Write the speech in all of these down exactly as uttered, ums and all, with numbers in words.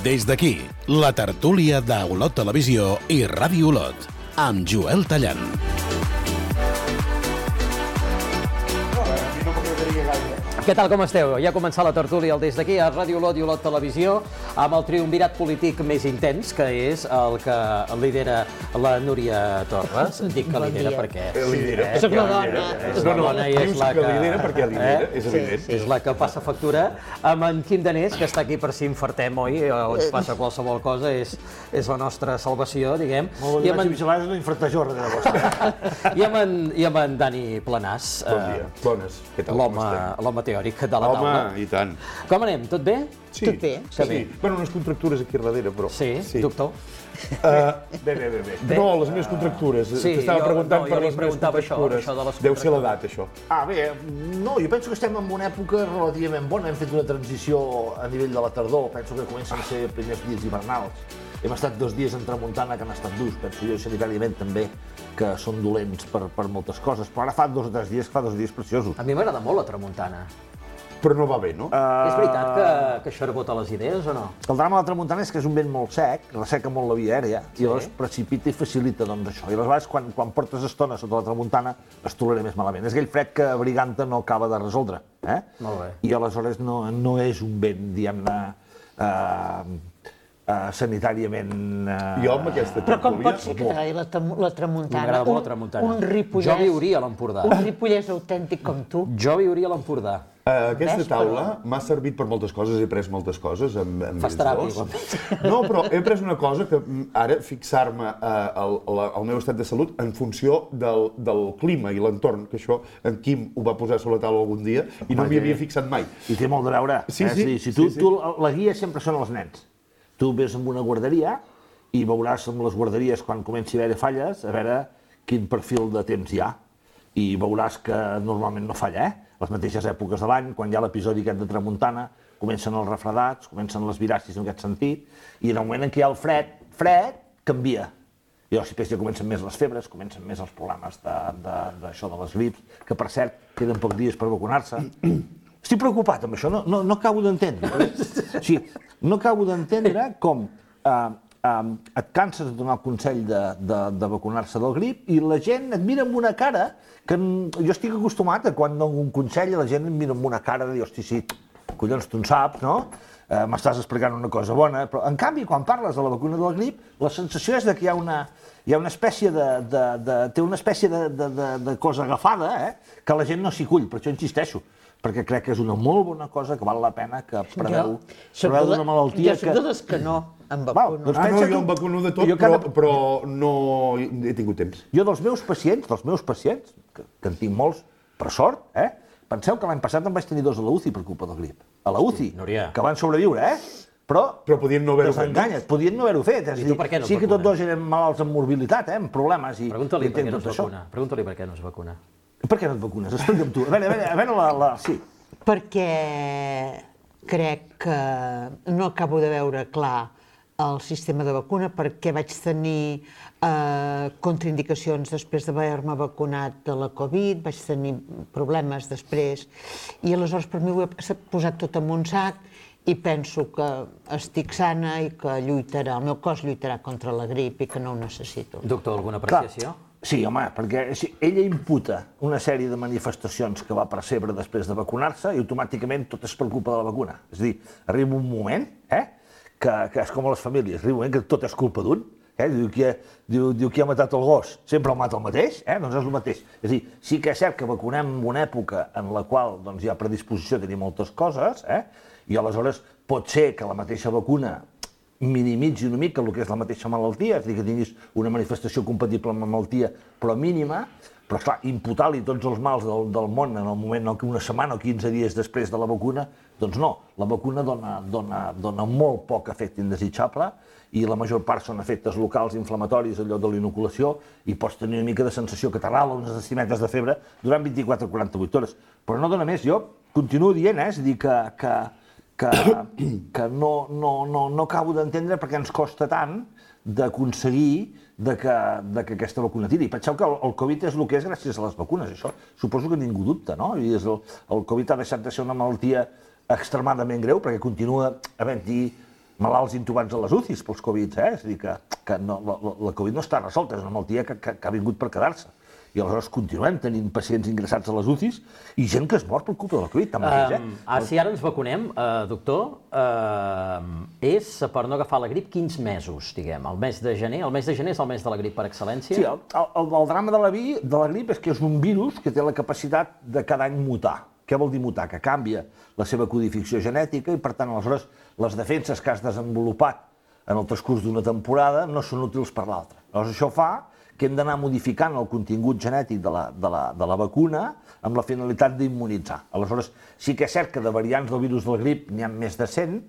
Des d'aquí, la tertúlia d'Olot Televisió i Ràdio Olot, amb Joel Tallant. Què tal, com esteu? Ja ha començat la tertúlia Des d'aquí a Ràdio Olot i Olot Televisió amb el triumvirat polític més intens, que és el que lidera la Núria Torres. Dic que lidera perquè... Lidera. Soc la dona. És la dona i és la que... lidera perquè lidera, és evident. És la que passa factura. Amb en Quim Danés, que està aquí per si infartem, oi? O ens passa qualsevol cosa, és la nostra salvació, diguem. Molt bé, vaig a no infartar jo darrere vostre. I amb en Dani Planàs. Bon dia. Bones. Què tal? L'home teòric de la taula. Home, i tant. Com anem? Tot bé? Sí. Tot bé. Sí. Bueno, unes contractures aquí darrere, però... Sí, doctor? Bé, bé, bé, bé. No, les meves contractures. T'estava preguntant per les meves contractures. Deu ser l'edat, això. Ah, bé, no, jo penso que estem en una època relativament bona. Hem fet una transició a nivell de la tardor. Penso que comencen a ser primers dies hivernals. Hem estat dos dies en tramuntana que han estat durs, penso jo, sanitàriament també, que són dolents per, per moltes coses, però ara fa dos o tres dies que fa dos dies preciosos. A mi m'agrada molt la tramuntana. Però no va bé, no? Uh... És veritat que, que això rebota les idees o no? El drama de la tramuntana és que és un vent molt sec, resseca molt la via aèria, sí. I llavors precipita i facilita doncs, això. I aleshores, quan, quan portes estona sota la tramuntana, es tolerarà més malament. És aquell fred que Briganta no acaba de resoldre. Eh? Molt bé. I aleshores no, no és un vent, diguem-ne, uh, uh, sanitàriament... Uh... Jo amb aquesta tertúlia... Però com pot ser que t'agradi la, la tramuntana? M'agrada molt la tramuntana. Un ripollès... Jo viuria a l'Empordà. Un ripollès autèntic com tu. Jo viuria a l'Empordà. Uh, aquesta taula m'ha servit per moltes coses, he après moltes coses amb, amb ells dos. No, però he après una cosa que ara fixar-me uh, al, al meu estat de salut en funció del, del clima i l'entorn, que això en Quim ho va posar sobre la taula algun dia i no m'hi havia fixat mai. I té molt de veure. Sí, eh? sí. Si, si tu, sí, sí. tu, la guia sempre són els nens. Tu ves amb una guarderia i veuràs amb les guarderies quan comenci a haver falles, a veure quin perfil de temps hi ha. I veuràs que normalment no falla, eh? Les mateixes èpoques de l'any, quan hi ha l'episodi aquest de tramuntana, comencen els refredats, comencen les viracis en aquest sentit, i en el moment en què hi ha el fred, fred, canvia. I llavors després ja comencen més les febres, comencen més els problemes d'això de, de, de les grips, que per cert, queden pocs dies per vacunar-se. Estic preocupat amb això, no, no, no acabo d'entendre. O sigui, no acabo d'entendre com eh, eh, et canses de donar el consell de, de, de vacunar-se del grip i la gent et mira amb una cara que jo estic acostumat a quan dono un consell i la gent em mira amb una cara de dir, hosti, sí, collons, tu en saps, no? Eh, m'estàs explicant una cosa bona, però en canvi, quan parles de la vacuna del grip, la sensació és de que hi ha una, hi ha una espècie de, de, de, té una espècie de, de, de, de cosa agafada, eh? Que la gent no s'hi cull, per això insisteixo, perquè crec que és una molt bona cosa que val la pena que preveu, preveu d'una malaltia que... Jo soc de les que no em vacuno. Doncs ah, no, jo em vacuno de tot, però, però no he tingut temps. Jo dels meus pacients, dels meus pacients, que, que en tinc molts, per sort, eh? Penseu que l'any passat em vaig tenir dos a la U C I per culpa del grip. A la U C I, Núria. Que van sobreviure, eh? Però, però podien no haver-ho fet. No? Podien no haver-ho fet. I tu per què no sí et que tots dos eren malalts amb morbilitat, eh? Amb problemes. I, Pregunta-li i per què no es vacuna. Pregunta-li per què no es vacuna. Per què no et vacunes? Explica'm tu. A veure, a veure, a veure la, la... Sí. Perquè crec que no acabo de veure clar el sistema de vacuna, perquè vaig tenir eh, contraindicacions després d'haver-me vacunat de la Covid, vaig tenir problemes després, i aleshores per mi ho he posat tot en un sac i penso que estic sana i que lluitarà, el meu cos lluitarà contra la grip i que no ho necessito. Doctor, alguna apreciació? Clar. Sí, home, perquè ella imputa una sèrie de manifestacions que va percebre després de vacunar-se i automàticament tot és per culpa de la vacuna. És a dir, arriba un moment, eh, que, que és com a les famílies, arriba un moment que tot és culpa d'un, eh, diu, qui ha, diu, diu qui ha matat el gos, sempre el mata el mateix, eh, doncs és el mateix. És a dir, sí que és cert que vacunem en una època en la qual doncs, hi ha predisposició a tenir moltes coses, eh, i aleshores pot ser que la mateixa vacuna minimitzi una mica el que és la mateixa malaltia, és a dir, que tinguis una manifestació compatible amb la malaltia, però mínima, però esclar, imputar-li tots els mals del, del món en el moment que una setmana o quinze dies després de la vacuna, doncs no, la vacuna dona, dona, dona molt poc efecte indesitjable i la major part són efectes locals inflamatoris al lloc de l'inoculació i pots tenir una mica de sensació que t'arrala unes decimetes de febre durant vint-i-quatre a quaranta-vuit hores. Però no dona més, jo continuo dient, eh, és a dir, que, que que, que no, no, no, no acabo d'entendre perquè ens costa tant d'aconseguir de que, de que aquesta vacuna tiri. Penseu que el, el Covid és el que és gràcies a les vacunes, això suposo que ningú dubta, no? I és el, el Covid ha deixat de ser una malaltia extremadament greu perquè continua havent-hi malalts intubats a les U C Is pels Covid, eh? És a dir, que, que no, la, la Covid no està resolta, és una malaltia que, que, que ha vingut per quedar-se. I aleshores continuem tenint pacients ingressats a les U C Is i gent que es mor per culpa de la Covid, tant mateix, eh? Um, ah, si ara ens vacunem, uh, doctor, uh, és per no agafar la grip quins mesos, diguem? El mes de gener? El mes de gener és el mes de la grip per excel·lència? Sí, el, el, el drama de la, vi, de la grip és que és un virus que té la capacitat de cada any mutar. Què vol dir mutar? Que canvia la seva codificació genètica i, per tant, aleshores, les defenses que has desenvolupat en el transcurs d'una temporada no són útils per l'altra. Llavors, això fa que hem d'anar modificant el contingut genètic de la, de la, de la vacuna amb la finalitat d'immunitzar. Aleshores, sí que és cert que de variants del virus de la grip n'hi ha més de cent,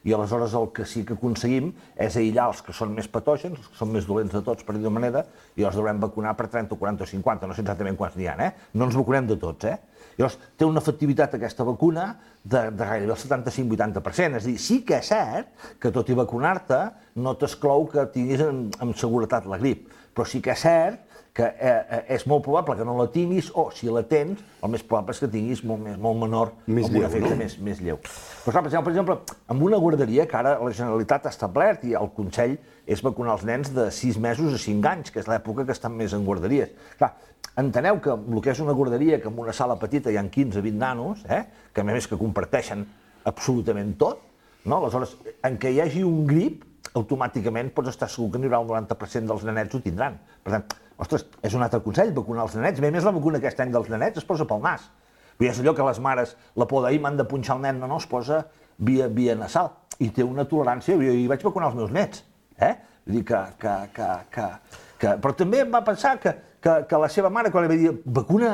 i aleshores el que sí que aconseguim és aïllar els que són més patògens, els que són més dolents de tots, per dir-ho manera, i els devem vacunar per trenta, quaranta o cinquanta, no sé exactament quants n'hi ha, eh? No ens vacunem de tots, eh? Llavors, té una efectivitat aquesta vacuna de, de gairebé el setanta-cinc a vuitanta per cent. És a dir, sí que és cert que tot i vacunar-te no t'exclou que tinguis amb, amb seguretat la grip, però sí que és cert que eh, és molt probable que no la tinguis, o si la tens, el més probable és que tinguis molt, més, molt menor, més amb lleu, un efecte no? més, més lleu. Però, per exemple, per exemple, amb una guarderia que ara la Generalitat ha establert i el Consell és vacunar els nens de sis mesos a cinc anys, que és l'època que estan més en guarderies. Clar, enteneu que el que és una guarderia, que en una sala petita hi ha quinze a vint nanos, eh, que a més que comparteixen absolutament tot, no? Aleshores, en què hi hagi un grip, automàticament pots estar segur que n'hi haurà un noranta per cent dels nenets ho tindran. Per tant, ostres, és un altre consell, vacunar els nenets. A més, la vacuna aquest any dels nenets es posa pel nas. I és allò que les mares, la por d'ahir m'han de punxar el nen, no, no, es posa via, via nasal. I té una tolerància, jo hi vaig vacunar els meus nets, eh? Vull dir que, que, que, que, que... Però també em va pensar que, que, que la seva mare, quan li va dir vacuna,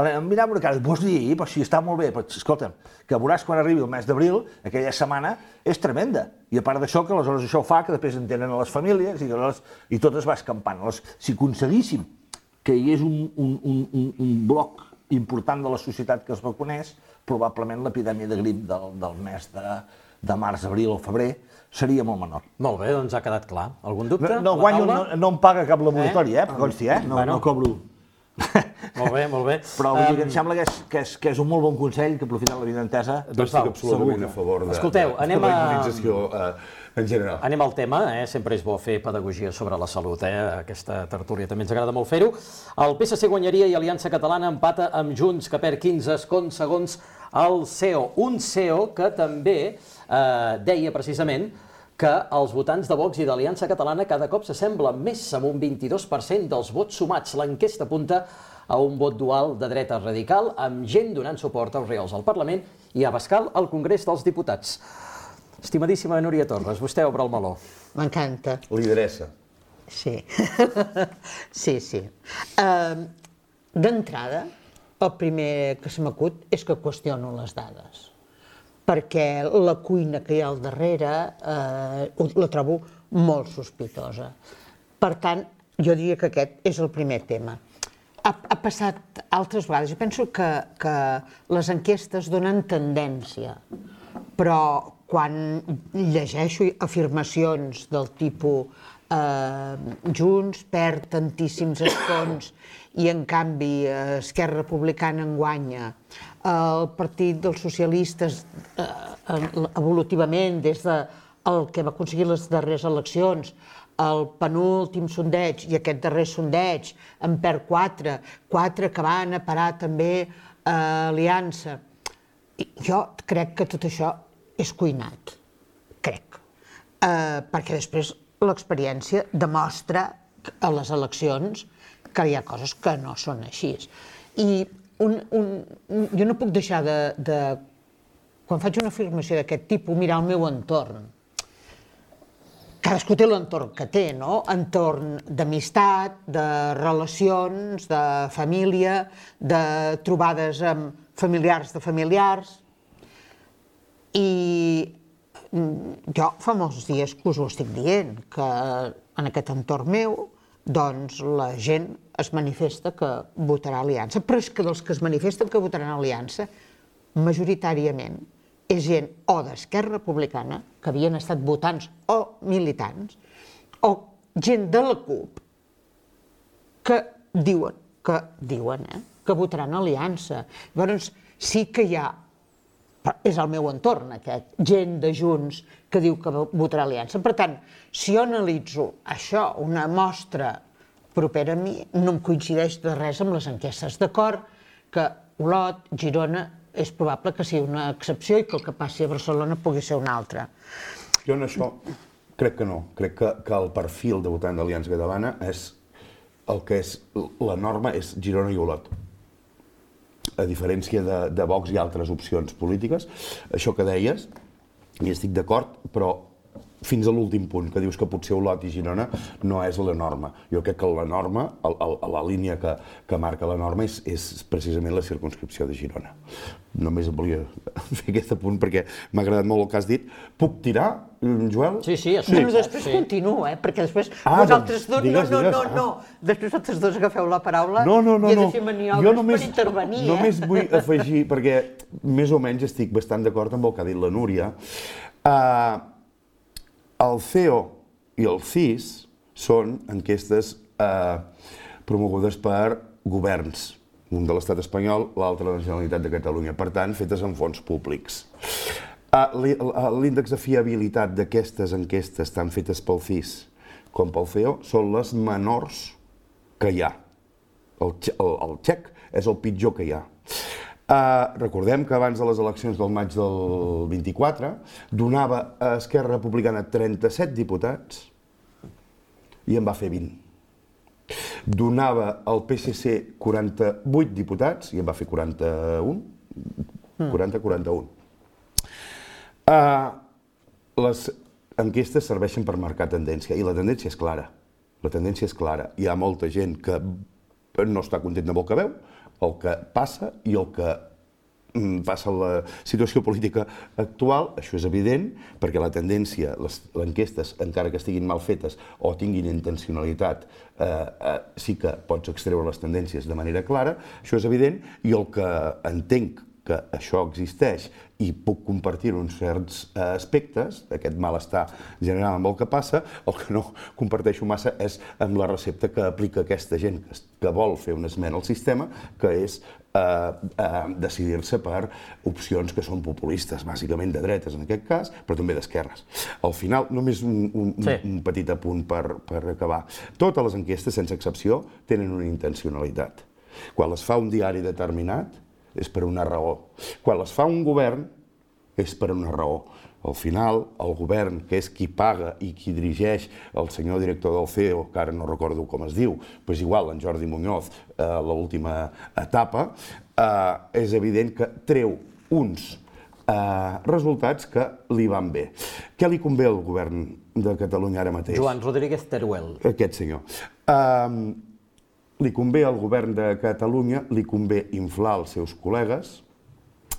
em mirava una cara, vols dir, però si està molt bé, però escolta'm, que veuràs quan arribi el mes d'abril, aquella setmana és tremenda. I a part d'això, que aleshores això fa que després entenen a les famílies i, aleshores, i tot es va escampant. Aleshores, si aconseguíssim que hi hagués un, un, un, un bloc important de la societat que es vacunés, probablement l'epidèmia de grip del, del mes de, de març, abril o febrer seria molt menor. Molt bé, doncs ha quedat clar. Algun dubte? No, no, guanyo, no, no em paga cap laboratori, eh? eh? Consti, eh? No, bueno. no cobro. Molt bé, molt bé. Però vull dir que em sembla que és, que, és, que és un molt bon consell, que aprofitant la vida entesa... Doncs estic absolutament a favor de, Escolteu, de, anem de la a... immunització eh, en general. Anem al tema, eh? Sempre és bo fer pedagogia sobre la salut, eh? Aquesta tertúlia també ens agrada molt fer-ho. El P S C guanyaria i Aliança Catalana empata amb Junts, que perd quinze escons segons el C E O. Un C E O que també eh, deia precisament que els votants de Vox i d'Aliança Catalana cada cop s'assemblen més, amb un vint-i-dos per cent dels vots sumats. L'enquesta apunta a un vot dual de dreta radical, amb gent donant suport als reals al Parlament i a Abascal al Congrés dels Diputats. Estimadíssima Núria Torres, vostè obre el meló. M'encanta. Lideressa. Sí, sí, sí. Uh, D'entrada, el primer que se m'acut és que qüestiono les dades, perquè la cuina que hi ha al darrere eh, la trobo molt sospitosa. Per tant, jo diria que aquest és el primer tema. Ha, ha passat altres vegades. Jo penso que, que les enquestes donen tendència, però quan llegeixo afirmacions del tipus eh, Junts perd tantíssims escons i en canvi Esquerra Republicana en guanya, el Partit dels Socialistes eh, evolutivament des del que va aconseguir les darreres eleccions, el penúltim sondeig i aquest darrer sondeig en perd quatre, quatre que van a parar també a Aliança. I jo crec que tot això és cuinat, crec, eh, perquè després l'experiència demostra a les eleccions que hi ha coses que no són així. I un, un, un, jo no puc deixar de, de, quan faig una afirmació d'aquest tipus, mirar el meu entorn. Cadascú té l'entorn que té, no? Entorn d'amistat, de relacions, de família, de trobades amb familiars de familiars. I jo fa molts dies que us ho estic dient, que en aquest entorn meu, doncs la gent es manifesta que votarà Aliança, però és que dels que es manifesten que votaran Aliança, majoritàriament és gent o d'Esquerra Republicana, que havien estat votants o militants, o gent de la CUP, que diuen, que diuen, eh, que votaran Aliança. Llavors, sí que hi ha és el meu entorn, aquest, gent de Junts que diu que votarà Aliança. Per tant, si jo analitzo això, una mostra propera a mi, no em coincideix de res amb les enquestes. D'acord que Olot, Girona, és probable que sigui una excepció i que el que passi a Barcelona pugui ser una altra. Jo en això crec que no. Crec que, que el perfil de votant d'Aliança Catalana és el que és la norma, és Girona i Olot. A diferència de, de Vox i altres opcions polítiques. Això que deies, hi estic d'acord, però fins a l'últim punt, que dius que potser Olot i Girona no és la norma. Jo crec que la norma, el, el, la línia que, que marca la norma és, és precisament la circumscripció de Girona. Només volia fer aquest apunt perquè m'ha agradat molt el que has dit. Puc tirar, Joel? Sí, sí, sí. Bueno, després sí. Continuo, eh? Perquè després ah, vosaltres dos, digues, no, no, digues. no, no. Després vosaltres dos agafeu la paraula no, no, no, i he de no. fer maniobres només, per intervenir, eh? Només vull afegir, perquè més o menys estic bastant d'acord amb el que ha dit la Núria. Uh, el C E O i el C I S són enquestes uh, promogudes per governs, un de l'estat espanyol, l'altre de la Generalitat de Catalunya, per tant, fetes amb fons públics. L'índex de fiabilitat d'aquestes enquestes, tant fetes pel C I S com pel C E O, són les menors que hi ha. El, el, el txec és el pitjor que hi ha. Uh, recordem que abans de les eleccions del maig del vint-i-quatre donava a Esquerra Republicana trenta-set diputats i en va fer vint. Donava al P S C quaranta-vuit diputats i en va fer quaranta-un. quaranta quaranta-un. Uh, les enquestes serveixen per marcar tendència i la tendència és clara. La tendència és clara. Hi ha molta gent que no està content amb el que veu, el que passa i el que passa en la situació política actual, això és evident, perquè la tendència, les enquestes, encara que estiguin mal fetes o tinguin intencionalitat, eh, eh, sí que pots extreure les tendències de manera clara, això és evident, i el que entenc que això existeix i puc compartir-ho en certs aspectes, aquest malestar general amb el que passa, el que no comparteixo massa és amb la recepta que aplica aquesta gent que vol fer una esmena al sistema, que és eh, eh, decidir-se per opcions que són populistes, bàsicament de dretes en aquest cas, però també d'esquerres. Al final, només un, un, sí. un petit apunt per, per acabar. Totes les enquestes, sense excepció, tenen una intencionalitat. Quan les fa un diari determinat, és per una raó. Quan les fa un govern, és per una raó. Al final, el govern, que és qui paga i qui dirigeix el senyor director del C E O, que ara no recordo com es diu, però és igual, en Jordi Muñoz, a eh, l'última etapa, eh, és evident que treu uns eh, resultats que li van bé. Què li convé al govern de Catalunya ara mateix? Joan Rodríguez Teruel. Aquest senyor. Eh, Li convé al govern de Catalunya, li convé inflar els seus col·legues,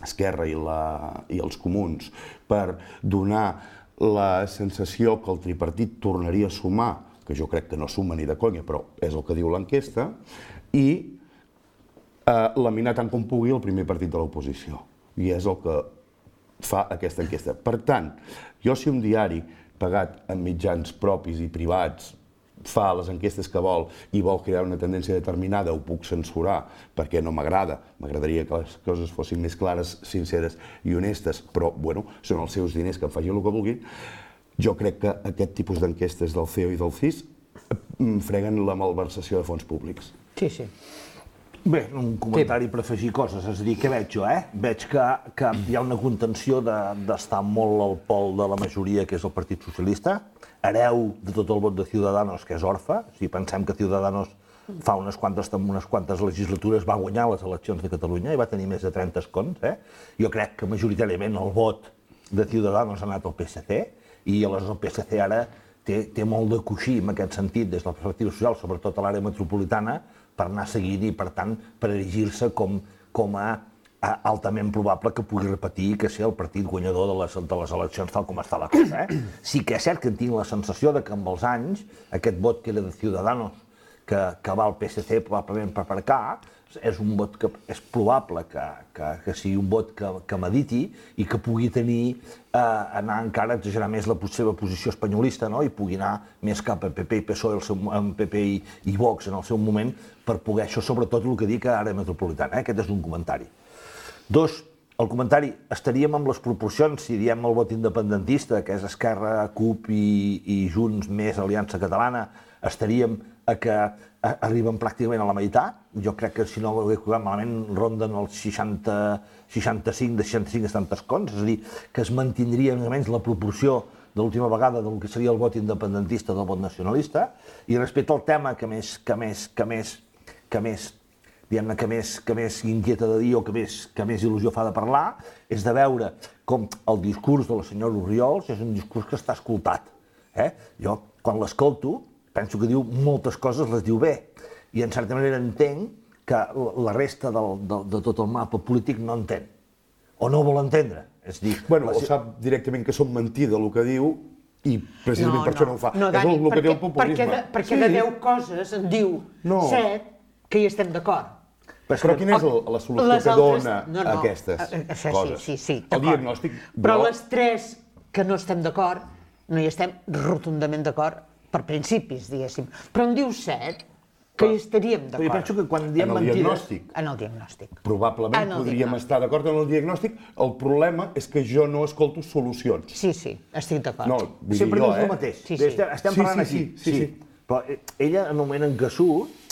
Esquerra i, la, i els comuns, per donar la sensació que el tripartit tornaria a sumar, que jo crec que no suma ni de conya, però és el que diu l'enquesta, i eh, laminar tant com pugui el primer partit de l'oposició. I és el que fa aquesta enquesta. Per tant, jo si un diari pagat amb mitjans propis i privats fa les enquestes que vol i vol crear una tendència determinada, ho puc censurar perquè no m'agrada. M'agradaria que les coses fossin més clares, sinceres i honestes, però, bueno, són els seus diners, que en facin el que vulguin. Jo crec que aquest tipus d'enquestes del C E O i del C I S freguen la malversació de fons públics. Sí, sí. Bé, un comentari sí. per afegir coses. És a dir, què veig jo, eh? Veig que, que hi ha una contenció d'estar de, molt al pol de la majoria, que és el Partit Socialista, hereu de tot el vot de Ciudadanos, que és orfe. Si pensem que Ciudadanos fa unes quantes, unes quantes legislatures va guanyar les eleccions de Catalunya i va tenir més de trenta escons, eh? Jo crec que majoritàriament el vot de Ciudadanos ha anat al P S C i aleshores el P S C ara té, té molt de coixí en aquest sentit des de la perspectiva social, sobretot a l'àrea metropolitana, per anar seguint i, per tant, per erigir-se com, com a altament probable que pugui repetir que sigui el partit guanyador de les, de les eleccions tal com està la cosa. Eh? Sí que és cert que tinc la sensació de que amb els anys aquest vot que era de Ciudadanos que, que va al P S C probablement per aparcar és un vot que és probable que, que, que sigui un vot que, que mediti i que pugui tenir, eh, anar encara a exagerar més la seva posició espanyolista, no? I pugui anar més cap a P P i P S O E, el seu, P P i, i Vox en el seu moment, per poder això, sobretot el que dic a l'àrea metropolitana. Eh? Aquest és un comentari. Dos, el comentari, estaríem amb les proporcions, si diem el vot independentista, que és Esquerra, CUP i, i Junts més Aliança Catalana, estaríem a que arriben pràcticament a la meitat. Jo crec que, si no ho he jugat malament, ronden els seixanta, seixanta-cinc, de seixanta-cinc a setanta escons, és a dir, que es mantindria més o menys la proporció de l'última vegada del que seria el vot independentista del vot nacionalista. I respecte al tema que més, que més, que més, que més diguem-ne, que més, que més inquieta de dir o que més, que més il·lusió fa de parlar, és de veure com el discurs de la senyora Orriols és un discurs que està escoltat. Eh? Jo, quan l'escolto, penso que diu moltes coses, les diu bé, i en certa manera entenc que la resta del, de, de tot el mapa polític no entén, o no vol entendre. És dir, bueno, o sap directament que són mentida el que diu, i precisament no, per no. això no ho fa. No, Dani, és el, el que té el populisme. Perquè de, perquè sí. de deu coses en diu no. set que hi estem d'acord. Però, però quina és la, la solució les que altres... dona no, no. aquestes Això, coses? Sí, sí, sí, el diagnòstic... Però les tres que no estem d'acord, no hi estem rotundament d'acord per principis, diguéssim. Però en diu set que hi estaríem d'acord. Jo penso que quan diem en el mentides... diagnòstic. En el diagnòstic. Probablement en el podríem diagnòstic. estar d'acord en el diagnòstic. El problema és que jo no escolto solucions. Sí, sí, estic d'acord. No, vull Sempre dir jo, dius eh? el mateix. Sí, sí. Estem, estem Sí, parlant sí, aquí. sí, sí, sí. Però ella, en un moment en què surt,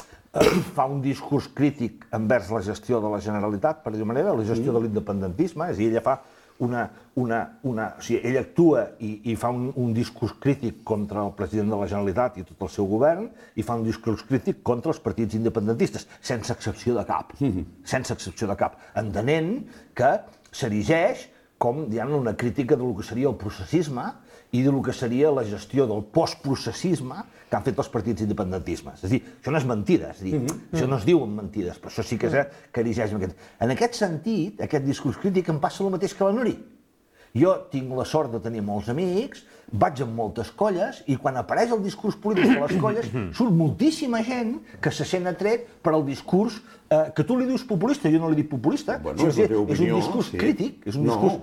fa un discurs crític envers la gestió de la Generalitat, per dir-ho manera, la gestió de l'independentisme, és a dir, ella fa una... una, una o sigui, ella actua i, i fa un, un discurs crític contra el president de la Generalitat i tot el seu govern, i fa un discurs crític contra els partits independentistes, sense excepció de cap, mm-hmm. sense excepció de cap, entenent que s'erigeix com, diguem-ne, una crítica del que seria el processisme i del que seria la gestió del postprocessisme que han fet els partits independentismes. És a dir, això no és mentida, és a dir, mm-hmm. això no es diu en mentides, però això sí que és que erigeix en aquest... En aquest sentit, aquest discurs crític em passa el mateix que la Nuri. Jo tinc la sort de tenir molts amics, vaig amb moltes colles, i quan apareix el discurs polític de les colles, surt moltíssima gent que se sent atret per al discurs eh, que tu li dius populista, jo no li dic populista, bueno, o sigui, és, opinió, és un discurs sí. crític, és un no. discurs...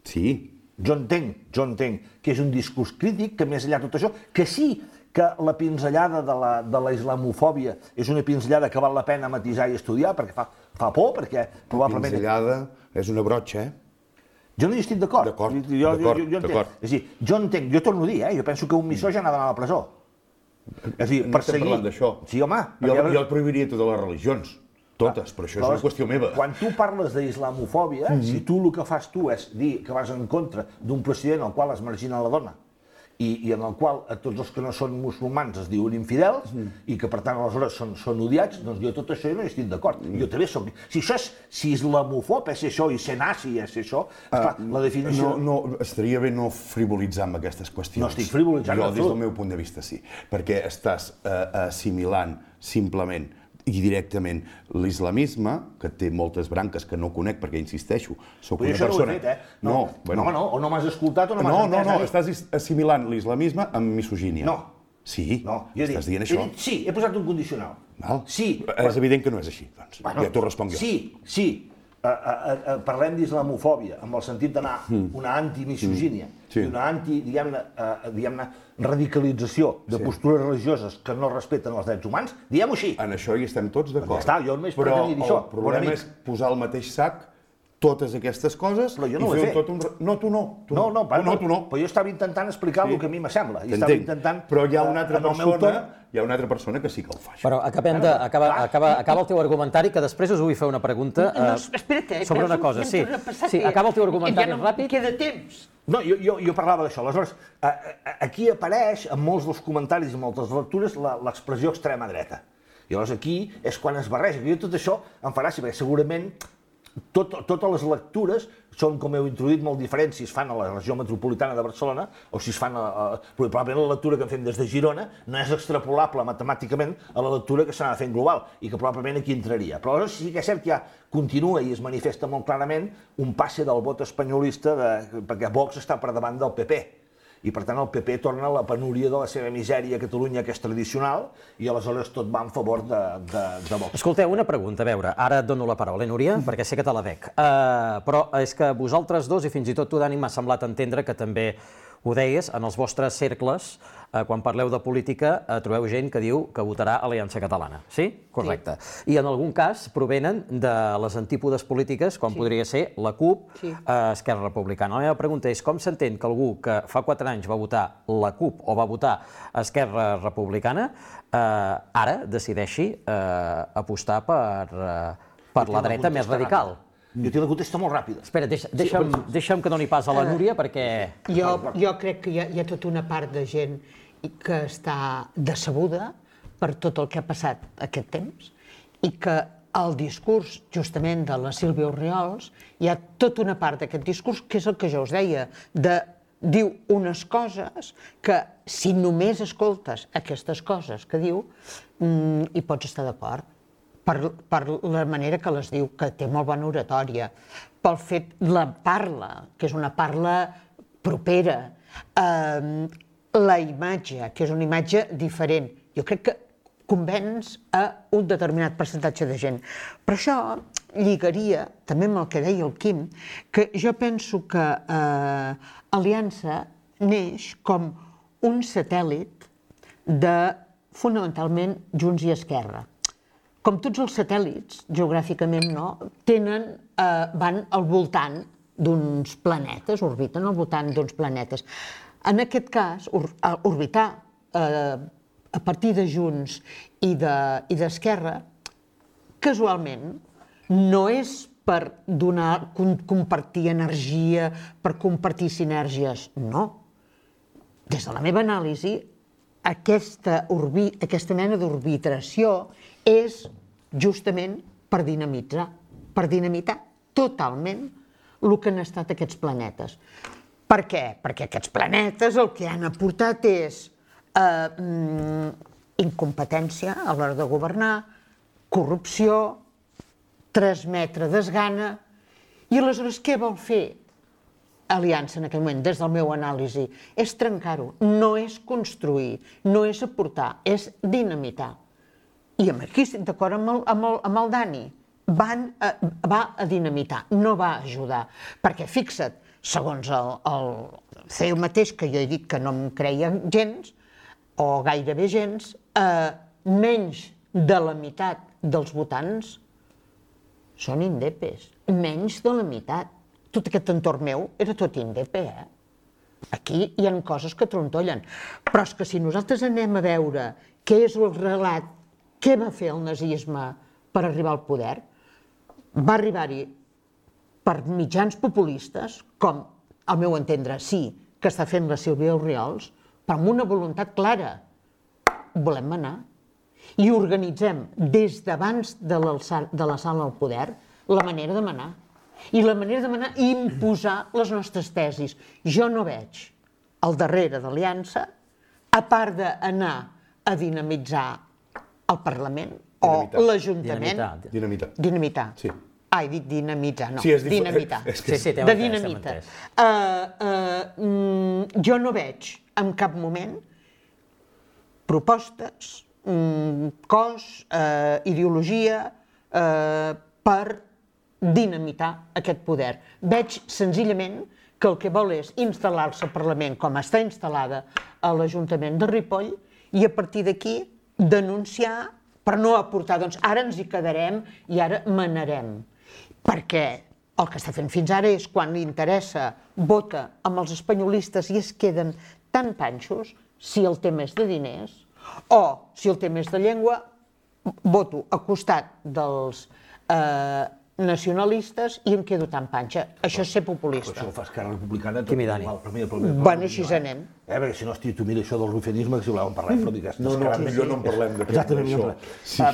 Sí. Jo entenc, jo entenc que és un discurs crític, que més enllà de tot això, que sí que la pinzellada de la, de la islamofòbia és una pinzellada que val la pena matisar i estudiar, perquè fa, fa por, perquè probablement... Pinzellada és una brotxa, eh? Jo no hi estic d'acord. D'acord, jo, d'acord, jo, jo d'acord. És a dir, jo entenc, jo torno a dir, eh? Jo penso que un misògin ha d'anar a la presó. És a dir, No estem perseguir... parlant d'això. Sí, home. Jo, perquè... jo prohibiria totes les religions. Totes, però això és una qüestió meva. Quan tu parles d'islamofòbia, mm-hmm. si tu el que fas tu és dir que vas en contra d'un president al qual es margina la dona i, i en el qual a tots els que no són musulmans es diuen infidels mm. i que per tant aleshores són, són odiats, doncs jo tot això no hi estic d'acord. Mm. Jo també soc... Si això és, si islamofòb és això i ser nazi és això, esclar, uh, la definició... No, no, estaria bé no frivolitzar amb aquestes qüestions. No estic frivolitzant. Jo, des del meu punt de vista, sí. Perquè estàs uh, assimilant simplement i directament l'islamisme, que té moltes branques que no conec perquè, insisteixo, soc una persona... Però això no ho he fet, eh? No, no, bueno... no, no, o no m'has escoltat o no m'has no, entès. No, no, no, estàs assimilant l'islamisme amb misogínia. No. Sí? No, jo he dit, estàs dient això? He dit, sí, he posat un condicional. Val. Sí. És evident que no és així, doncs. Bueno, ja t'ho responc jo. Sí, sí. A, a, a, parlem d'islamofòbia, amb el sentit d'anar mm. una antimisogínia mm. sí. i una anti, diguem-ne, uh, diguem-ne, radicalització de sí. postures religioses que no respecten els drets humans, diguem-ho així. En això hi estem tots d'acord. Ja està, jo només però pretenia dir això. Però el problema és posar al mateix sac totes aquestes coses però jo no i fer ho he tot un... No, tu no. Tu no, no, no, no, tu no. Però jo estava intentant explicar sí. el que a mi m'assembla. Intentant, però hi ha una altra uh, persona... Hi ha una altra persona que sí que ho fa. Però acabem de, acaba, acaba, acaba el teu argumentari, que després us vull fer una pregunta uh, no, espera't, eh, sobre una cosa. Sí, sí, acaba el teu argumentari ja no ràpid. Queda temps. No, jo, jo, jo parlava d'això. Aleshores, aquí apareix, en molts dels comentaris i moltes lectures, l'expressió extrema dreta. I llavors aquí és quan es barreja. Jo tot això em farà, perquè segurament tot, totes les lectures són, com heu introduït, molt diferents si es fan a la regió metropolitana de Barcelona o si es fan a... a probablement la lectura que en fem des de Girona no és extrapolable matemàticament a la lectura que s'ha de fer en global i que probablement aquí entraria. Però aleshores sí que és cert que ja continua i es manifesta molt clarament un passe del vot espanyolista de, perquè Vox està per davant del P P. I, per tant, el P P torna a la penúria de la seva misèria a Catalunya, que és tradicional, i aleshores tot va en favor de, de, de Vox. Escolteu, una pregunta, a veure, ara et dono la paraula, eh, Núria, perquè sé que te la dec. Uh, però és que vosaltres dos, i fins i tot tu, Dani, m'ha semblat entendre que també ho deies, en els vostres cercles, quan parleu de política, trobeu gent que diu que votarà Aliança Catalana. Sí? Correcte. I en algun cas provenen de les antípodes polítiques, com podria ser la CUP, Esquerra Republicana. La meva pregunta és com s'entén que algú que fa quatre anys va votar la CUP o va votar Esquerra Republicana ara decideixi apostar per la dreta més radical? Jo tinc la contesta molt ràpida. Espera, deixa'm que doni pas a la Núria, perquè... Jo crec que hi ha tota una part de gent que està decebuda per tot el que ha passat aquest temps i que el discurs, justament, de la Sílvia Orriols, hi ha tota una part d'aquest discurs, que és el que jo us deia, de diu unes coses que, si només escoltes aquestes coses que diu, hi pots estar d'acord. Per la manera que les diu, que té molt bona oratòria, pel fet, la parla, que és una parla propera, la imatge, que és una imatge diferent. Jo crec que convenç a un determinat percentatge de gent. Per això lligaria, també amb el que deia el Quim, que jo penso que Aliança neix com un satèl·lit de, fonamentalment, Junts i Esquerra. Com tots els satèl·lits, geogràficament no, tenen, van al voltant d'uns planetes, orbiten al voltant d'uns planetes. En aquest cas, orbitar a partir de Junts i d'Esquerra, casualment, no és per donar, compartir energia, per compartir sinergies, no. Des de la meva anàlisi, aquesta mena d'orbitació és justament per dinamitzar, per dinamitar totalment el que han estat aquests planetes. Per què? Perquè aquests planetes el que han aportat és incompetència a l'hora de governar, corrupció, transmetre desgana, i aleshores què vol fer Aliança en aquell moment, des del meu anàlisi? És trencar-ho, no és construir, no és aportar, és dinamitar. I aquí estic d'acord amb el Dani, va a dinamitar, no va a ajudar, perquè fixa't, segons el C E U mateix, que jo he dit que no em creia gens, o gairebé gens, menys de la meitat dels votants són indepes, menys de la meitat. Tot aquest entorn meu era tot indepe, eh? Aquí hi ha coses que trontollen, però és que si nosaltres anem a veure què és el relat, què va fer el nazisme per arribar al poder, va arribar-hi per mitjans populistes, com, al meu entendre, sí, que està fent la Sílvia Orriols, però amb una voluntat clara. Volem manar. I organitzem, des d'abans de la sala al poder, la manera de manar. I la manera de manar i imposar les nostres tesis. Jo no veig al darrere d'Aliança, a part d'anar a dinamitzar el Parlament o l'Ajuntament... Dinamitar. Dinamitar. Sí. Ah, he dit dinamitzar, no. Sí, és dinamitar. Sí, sí, de dinamita. Jo no veig en cap moment propostes, cos, ideologia per dinamitar aquest poder. Veig senzillament que el que vol és instal·lar-se al Parlament com està instal·lada a l'Ajuntament de Ripoll i a partir d'aquí denunciar per no aportar, doncs ara ens hi quedarem i ara manarem. Perquè el que està fent fins ara és, quan li interessa, vota amb els espanyolistes i es queden tan panxos, si el tema és de diners, o si el tema és de llengua, voto a costat dels nacionalistes i em quedo tan panxa. Això és ser populista. Això ho fa Esquerra Republicana. Quim i Dani. Bueno, així anem. Perquè si no, hosti, tu mira això del rufianisme, que si voleu en parlem, però digues... No, no, millor no en parlem d'això.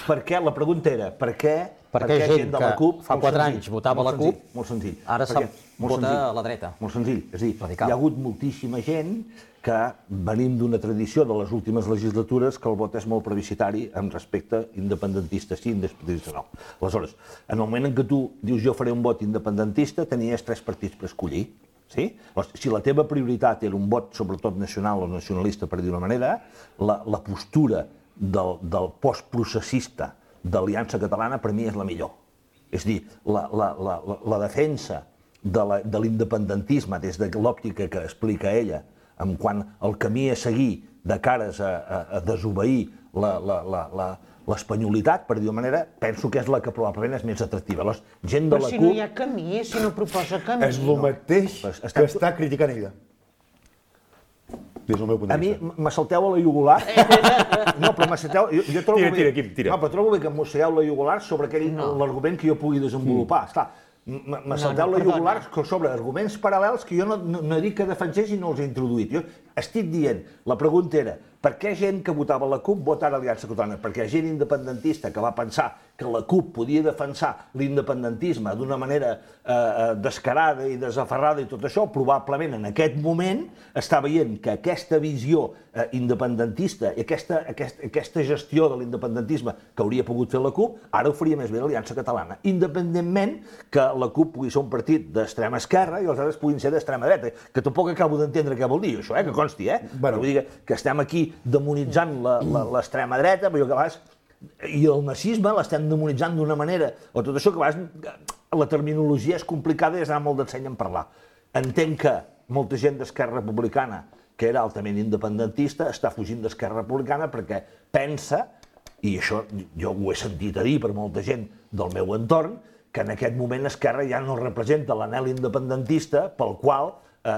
Per què, la pregunta era, per què perquè gent que fa quatre anys votava la CUP, molt senzill, ara vota a la dreta. Molt senzill, és a dir, hi ha hagut moltíssima gent que venim d'una tradició de les últimes legislatures que el vot és molt plebiscitari amb respecte independentista sí, independentista no. Aleshores, en el moment en què tu dius jo faré un vot independentista, tenies tres partits per escollir. Si la teva prioritat era un vot sobretot nacional o nacionalista, per dir una manera, la postura del postprocessista d'Aliança Catalana per mi és la millor. És a dir, la defensa de l'independentisme des de l'òptica que explica ella, en quant al camí a seguir de cares a desobeir l'espanyolitat, per dir-ho manera, penso que és la que probablement és més atractiva. Gent de la CUP... Però si no hi ha camí, si no proposa camí... És el mateix que està criticant ella. Des del meu punt de vista. A mi me salteu a la jugular. No, però me salteu... Jo trobo tira, tira, Quim, tira. No, però trobo bé que em mossegueu la jugular sobre aquell l'argument que jo pugui desenvolupar. Esclar, me salteu la jugular sobre arguments paral·lels que jo no dic que defensés i no els he introduït. Jo estic dient, la pregunta era, per què gent que votava la CUP vota ara Aliança Catalana? Perquè gent independentista que va pensar que la CUP podia defensar l'independentisme d'una manera descarada i desaferrada i tot això, probablement en aquest moment està veient que aquesta visió independentista i aquesta gestió de l'independentisme que hauria pogut fer la CUP, ara ho faria més bé l'Aliança Catalana, independentment que la CUP pugui ser un partit d'extrema esquerra i els altres puguin ser d'extrema dreta, que tampoc acabo d'entendre què vol dir això, que consti, eh? Vull dir que estem aquí demonitzant l'extrema dreta, però que a vegades, i el nazisme l'estem demonitzant d'una manera, o tot això que a vegades la terminologia és complicada i es dona molt d'enseny en parlar. Entenc que molta gent d'Esquerra Republicana, que era altament independentista, està fugint d'Esquerra Republicana perquè pensa, i això jo ho he sentit a dir per molta gent del meu entorn, que en aquest moment Esquerra ja no representa l'anhel independentista pel qual,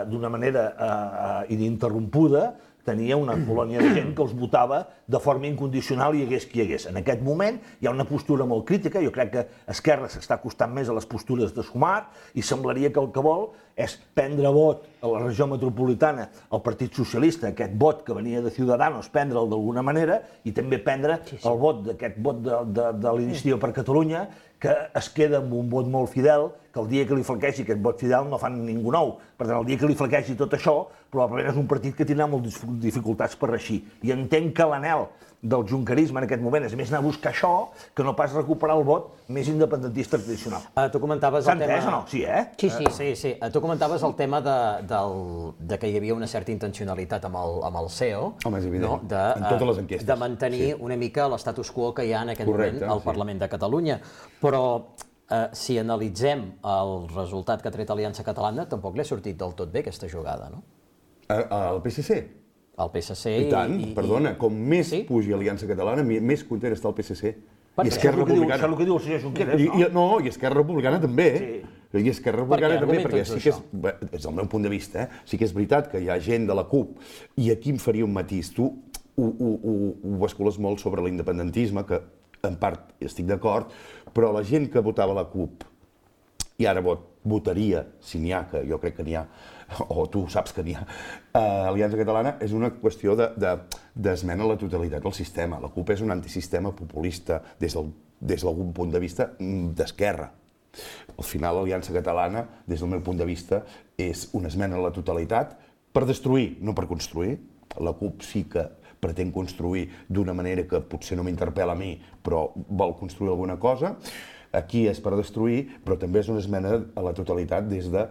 d'una manera ininterrompuda, tenia una colònia de gent que els votava de forma incondicional i hi hagués qui hi hagués. En aquest moment hi ha una postura molt crítica, jo crec que Esquerra s'està acostant més a les postures de Sumar i semblaria que el que vol és prendre vot a la regió metropolitana al Partit Socialista, aquest vot que venia de Ciudadanos, prendre'l d'alguna manera i també prendre el vot d'aquest vot de l'Iniciativa per Catalunya, que es queda amb un vot molt fidel, que el dia que li flaquegi aquest vot fidel no fan ningú nou. Per tant, el dia que li flaquegi tot això, probablement és un partit que tindrà moltes dificultats per reeixir. I entenc que l'anhel del junquerisme en aquest moment és més anar a buscar això que no pas recuperar el vot més independentista tradicional. Tu comentaves el tema... S'ha entès o no? Sí, eh? Sí, sí. Sí, sí. Tu comentaves el tema de que hi havia una certa intencionalitat amb el C E O. Home, és evident. En totes les enquestes. De mantenir una mica l'estatus quo que hi ha en aquest moment al Parlament de Catalunya. Però si analitzem el resultat que ha tret Aliança Catalana, tampoc li ha sortit del tot bé aquesta jugada, no? Al P S C? Al P S C i... I tant, perdona, com més pugi Aliança Catalana, més content està el P S C. I Esquerra Republicana... Això és el que diu el senyor Junqueras, no? No, i Esquerra Republicana també. I Esquerra Republicana també, perquè sí que és, des del meu punt de vista, sí que és veritat que hi ha gent de la CUP, i aquí em faria un matís. Tu ho bascules molt sobre l'independentisme, que en part estic d'acord, però la gent que votava la CUP i ara votaria, si n'hi ha, que jo crec que n'hi ha, o tu saps que n'hi ha, Aliança Catalana, és una qüestió d'esmena a la totalitat del sistema. La CUP és un antisistema populista des d'algun punt de vista d'esquerra. Al final, l'Aliança Catalana, des del meu punt de vista, és una esmena a la totalitat per destruir, no per construir. La CUP sí que pretén construir d'una manera que potser no m'interpel·la a mi, però vol construir alguna cosa. Aquí és per destruir, però també és una esmena a la totalitat des de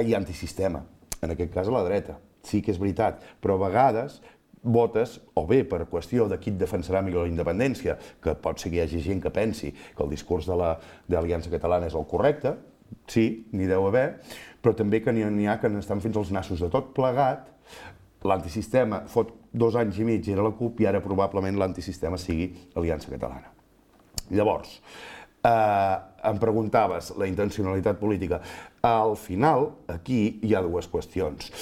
i antisistema, en aquest cas a la dreta. Sí que és veritat, però a vegades votes, o bé per qüestió de qui et defensarà millor la independència, que pot ser que hi hagi gent que pensi que el discurs de l'Aliança Catalana és el correcte, sí, n'hi deu haver, però també que n'hi ha que n'estan fins als nassos de tot plegat. L'antisistema fot dos anys i mig era la CUP i ara probablement l'antisistema sigui Aliança Catalana. Llavors, em preguntaves la intencionalitat política. Al final, aquí hi ha dues qüestions.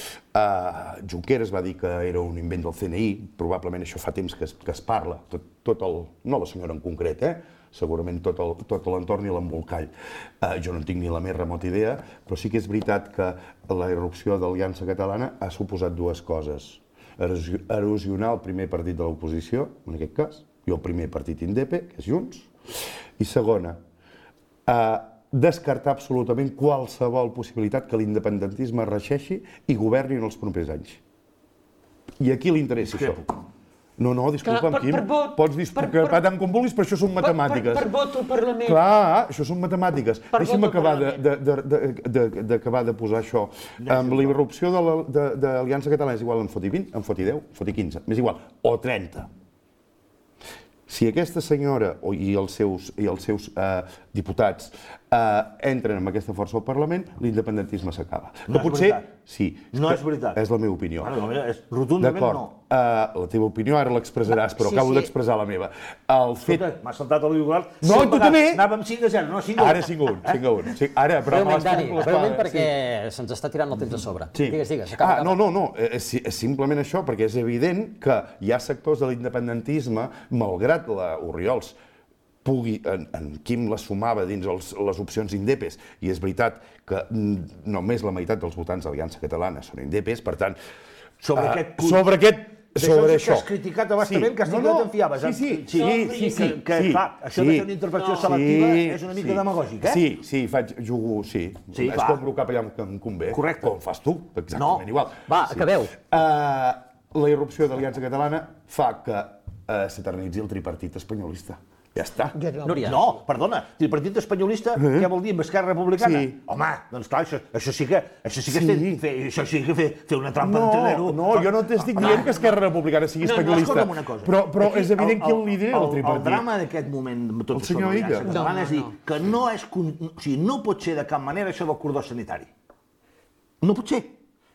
Junqueras va dir que era un invent del C N I, probablement això fa temps que es parla, tot el... no la senyora en concret, eh? Segurament tot l'entorn i l'embolcall. Jo no en tinc ni la més remota idea, però sí que és veritat que la irrupció d'Aliança Catalana ha suposat dues coses. Erosionar el primer partit de l'oposició, en aquest cas, i el primer partit indepe, que és Junts, i segona, descartar absolutament qualsevol possibilitat que l'independentisme reixeixi i governi en els propers anys. I a qui li interessa això? No, no, disculpa'm, Quim, pots disculpar tant com vulguis, però això són matemàtiques. Per vot al Parlament. Clar, això són matemàtiques. Deixa'm acabar de posar això. Amb la irrupció de l'Aliança Catalana és igual en foti vint, en foti deu, en foti quinze, m'és igual, o trenta. Si aquesta senyora i els seus, i els seus eh, diputats eh, entren amb aquesta força al Parlament, l'independentisme s'acaba. No és potser, veritat. Sí, no que, és veritat. És la meva opinió. Bueno, és, rotundament no. Uh, la teva opinió ara l'expressaràs, però sí, acabo sí. d'expressar la meva. El fet... M'ha saltat el bigolar. No, tu també! Anàvem cinc a zero, no cinc a un. Ara cinc a un, cinc a un. Sí, ara, però breument, Dani, breument perquè sí. se'ns està tirant el temps a sobre. Sí. Digues, digues. Acaba, ah, no, no, no, és, és simplement això, perquè és evident que hi ha sectors de l'independentisme, malgrat la Oriols pugui, en, en Quim la sumava dins els, les opcions indepes, i és veritat que només la meitat dels votants d'Aliança Catalana són indepes, per tant, sobre uh, aquest punt, sobre aquest, sobre això. Que has criticat abastament, sí. que has tingut no, no. en fiaves. Sí, sí, sí, sí, sí, sí, sí, que, sí, clar, això sí, de fer una intervenció no. selectiva sí, és una mica sí, demagògic, eh? Sí, sí, faig, jugo, sí. sí Escombro cap allà que em convé. Correcte. Com fas tu, exactament no. igual. Va, sí. acabeu. Uh, la irrupció d'Aliança Catalana fa que uh, s'eternitzi el tripartit espanyolista. Ja està. Núria. No, perdona, tripartit espanyolista, eh? què vol dir amb Esquerra Republicana? Sí. Home, doncs clar, això, això sí que, això sí que, sí. Fer, fer, això sí que fer, fer una trampa no, d'entrenero. No, jo no t'estic dient que Esquerra Republicana sigui no, espanyolista. No, escolta'm una cosa. Però, però Aquí, és evident qui el lidera el, el tripartit. El drama d'aquest moment, tot el senyor Illa. No, no, és dir, que no és... O sigui, no pot ser de cap manera això del cordó sanitari. No pot ser.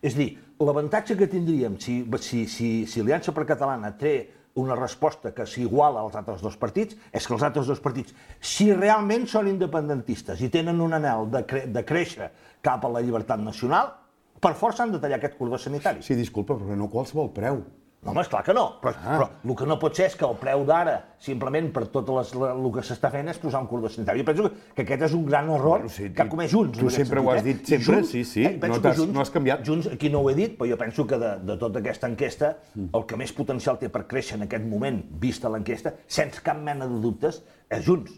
És dir, l'avantatge que tindríem si, si, si, si Aliança per Catalana té una resposta que s'iguala als altres dos partits, és que els altres dos partits, si realment són independentistes i tenen un anhel de, cre de créixer cap a la llibertat nacional, per força han de tallar aquest cordó sanitari. Sí, disculpa, però no a qualsevol preu. No, home, esclar que no, però, ah. però el que no pot ser és que el preu d'ara, simplement per tot les, la, el que s'està fent, és posar un cordó sanitari. Jo penso que, que aquest és un gran error bueno, sí, que ha comès Junts. Tu sempre sentit, ho has dit, eh? sempre, Junts, sí, sí, eh, no, has, Junts, no has canviat. Junts, aquí no ho he dit, però jo penso que de, de tota aquesta enquesta, el que més potencial té per créixer en aquest moment, vista l'enquesta, sense cap mena de dubtes, és Junts.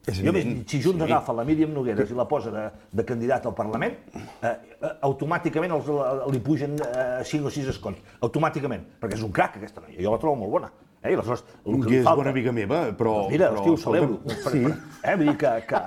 És jo veig, si Junts sí. agafa la Míriam Nogueras i la posa de, de candidat al Parlament, eh, automàticament els, li pugen eh, cinc o sis escons. Automàticament. Perquè és un crac, aquesta noia. Jo la trobo molt bona. Eh? I aleshores, el que I és falta... bona amiga meva, però... Doncs mira, però, hosti, ho celebro. Sí. Eh? Vull dir que... que,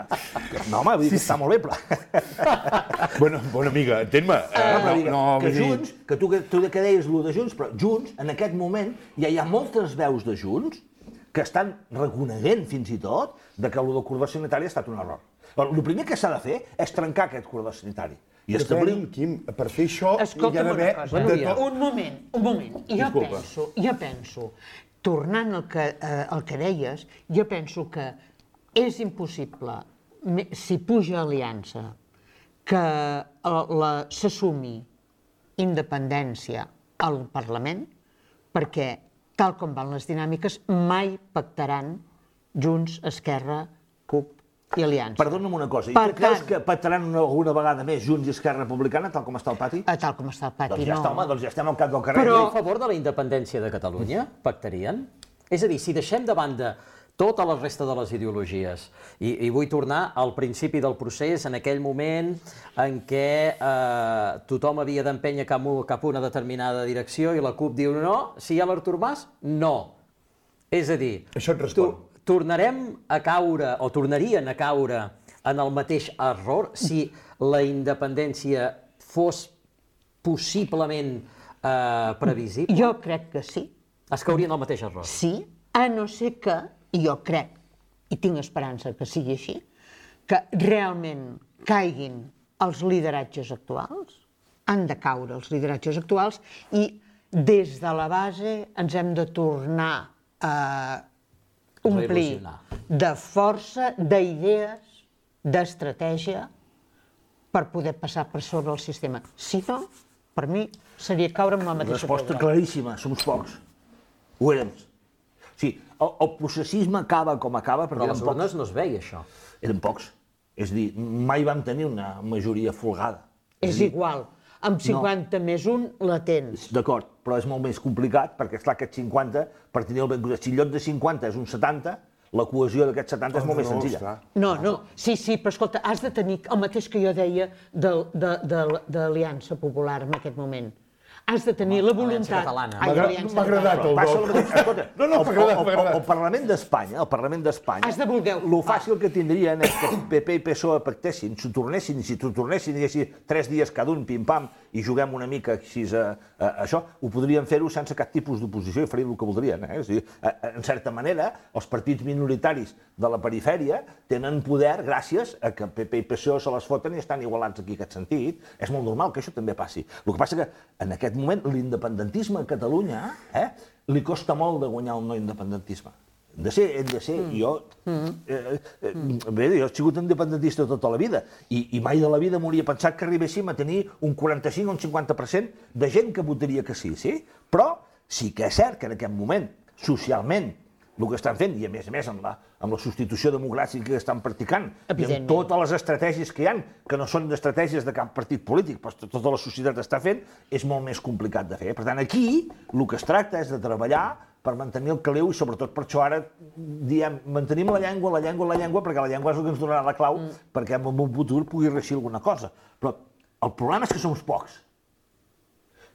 que no, home, vull dir que sí, està sí. molt bé, però... Bona, bona amiga, entén-me. Uh, no, però digue, no, que Junts, que tu, tu que deies el de Junts, però Junts, en aquest moment, ja hi ha moltes veus de Junts que estan reconeguent fins i tot de que el del cordó sanitari ha estat un error. El primer que s'ha de fer és trencar aquest cordó sanitari. I establir... Quim, per fer això Escolta'm hi ha d'haver... De tot... Un moment, un moment. Jo Disculpa. penso, jo penso, tornant al que, eh, al que deies, jo penso que és impossible, si puja Aliança, que s'assumi independència al Parlament, perquè tal com van les dinàmiques, mai pactaran Junts, Esquerra, CUP i Aliança. Perdona'm una cosa, i tu creus que pactaran alguna vegada més Junts i Esquerra Republicana, tal com està el pati? Tal com està el pati, doncs ja no. Està, home, doncs ja estem al cap del carrer. Però a favor de la independència de Catalunya, pactarien? És a dir, si deixem de banda tota la resta de les ideologies. I, i vull tornar al principi del procés, en aquell moment en què eh, tothom havia d'empènyer cap, cap a una determinada direcció i la CUP diu no, si hi ha l'Artur Mas, no. És a dir, això et respon. Tu, tornarem a caure, o tornarien a caure en el mateix error si la independència fos possiblement eh, previsible? Jo crec que sí. Es caurien el mateix error? Sí, a no ser que, i jo crec, i tinc esperança que sigui així, que realment caiguin els lideratges actuals, han de caure els lideratges actuals, i des de la base ens hem de tornar a omplir de força, d'idees, d'estratègia, per poder passar per sobre el sistema. Si no, per mi, seria caure amb la mateixa Resposta programa. claríssima, som pocs. Ho érem. Sí, el, el processisme acaba com acaba, perquè però a les urnes no es veia això. Eren pocs. És a dir, mai vam tenir una majoria folgada. És, és dir, igual. Amb cinquanta no. més un la tens. D'acord, però és molt més complicat, perquè esclar, aquest cinquanta, per tenir el ben gust, si en lloc de cinquanta és un setanta, la cohesió d'aquest setanta oh, és molt no, més senzilla. No, no, sí, sí, però escolta, has de tenir el mateix que jo deia d'Aliança Popular en aquest moment. has de tenir la voluntat... M'ha agradat el doc. No, no, m'ha agradat, m'ha agradat. El Parlament d'Espanya, el Parlament d'Espanya... Has de voler... Lo fàcil que tindrien és que P P i P S O E pactessin, s'ho tornessin, i si t'ho tornessin i diguessin tres dies cada un, pim-pam, i juguem una mica així a, a, a això, ho podrien fer-ho sense cap tipus d'oposició i farien el que voldrien. Eh? És a dir, a, a, en certa manera, els partits minoritaris de la perifèria tenen poder gràcies a que P P i P S O se les foten i estan igualats aquí en aquest sentit. És molt normal que això també passi. El que passa que en aquest moment l'independentisme a Catalunya eh, li costa molt de guanyar el no independentisme. Hem de ser, hem de ser, mm. jo... Eh, eh, bé, jo he sigut independentista tota la vida i, i mai de la vida m'hauria pensat que arribéssim a tenir un quaranta-cinc o un cinquanta per cent de gent que votaria que sí, sí? Però sí que és cert que en aquest moment, socialment, el que estan fent, i a més a més amb la, amb la substitució democràtica que estan practicant, i amb totes les estratègies que hi ha, que no són estratègies de cap partit polític, però tota la societat està fent, és molt més complicat de fer. Per tant, aquí el que es tracta és de treballar per mantenir el caliu i sobretot per això ara diem, mantenim la llengua, la llengua, la llengua, perquè la llengua és el que ens donarà la clau mm. perquè en un futur pugui reeixir alguna cosa. Però el problema és que som pocs.